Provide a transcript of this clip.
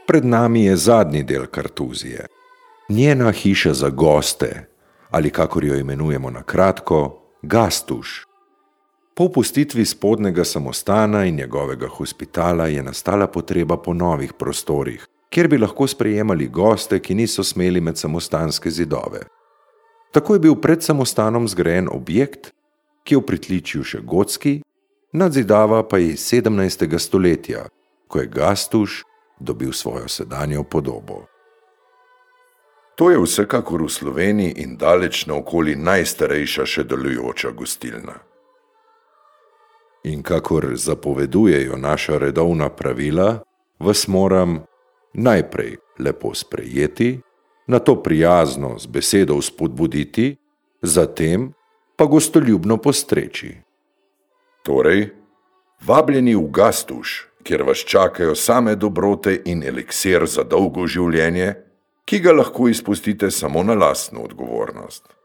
Pred nami je zadnji del kartuzije. Njena hiša za goste, ali kakor jo imenujemo na kratko, Gastuž. Po opustitvi spodnjega samostana in njegovega hospitala je nastala potreba po novih prostorih, kjer bi lahko sprejemali goste, ki niso smeli med samostanske zidove. Tako je bil pred samostanom zgrajen objekt, ki je v pritličju še gotski, nadzidava pa je iz 17. stoletja, ko je Gastuž dobil svojo sedanjo podobo. To je vsekakor v Sloveniji in daleč naokoli najstarejša še delujoča gostilna. In kakor zapovedujejo naša redovna pravila, vas moram najprej lepo sprejeti, nato prijazno z besedo vzpodbuditi, zatem pa gostoljubno postreči. Torej, vabljeni v Gastuž, kjer vas čakajo same dobrote in eliksir za dolgo življenje, ki ga lahko izpustite samo na lastno odgovornost.